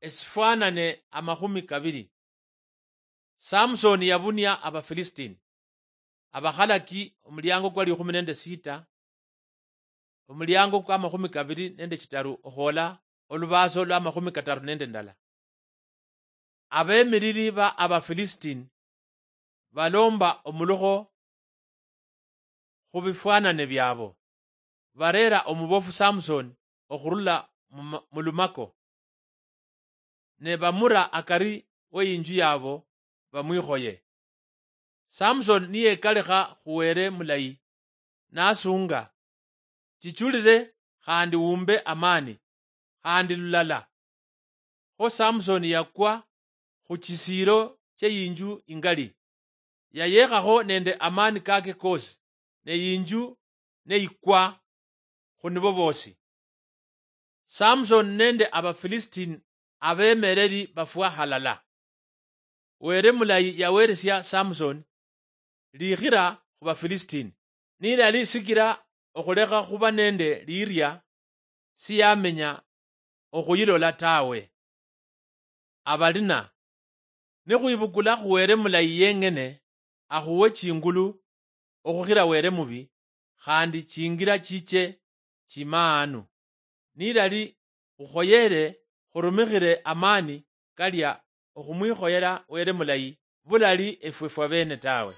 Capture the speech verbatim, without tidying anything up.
Esifwanane amakhumi kabili. Samsoni yabunia Abafilisitini. Abakhalaki, omuliango kwa likhumi nende sita, omuliango kwa amakhumi kabili nende chitaru okhwola olubaaso lwa amakhumi kataru nende ndala. Abemiriri ba Abafilisitini balomba omulukho khu bifwanane byabo, bareera omubofu Samsoni okhurula mu ma-, mu lumako, ne bamura akari w'eyinju yabo bamwikhoye. Samsoni niyekalekha khu Wele mulayi, nasunga, "Chichulire khandi wumbe amani, khandi lulala." Kho Samsoni yakwa khu chisiiro ch'eyinju ingali. Yayekhakho nende amani kake kosi, ne yinju neyikwa khu nibo bosi. Samsoni nende Abafilisitini abemereri bafwa halala. Wele mulayi yaweresia Samsoni likhira khu Bafilisitini, nilali sikira okhulekha khuba nende liria siyamenya okhuyilola tawe. Abalina, nikhwibukula khu Wele mulayi yeng'ene, akhuwe chingulu okhukhira Wele mubi, khandi chingira chiche chimaanu. Nilali khukhoyere khurumikhire amani kalia okhumwikhoyera Wele mulayi, bulali efwe fwabene tawe.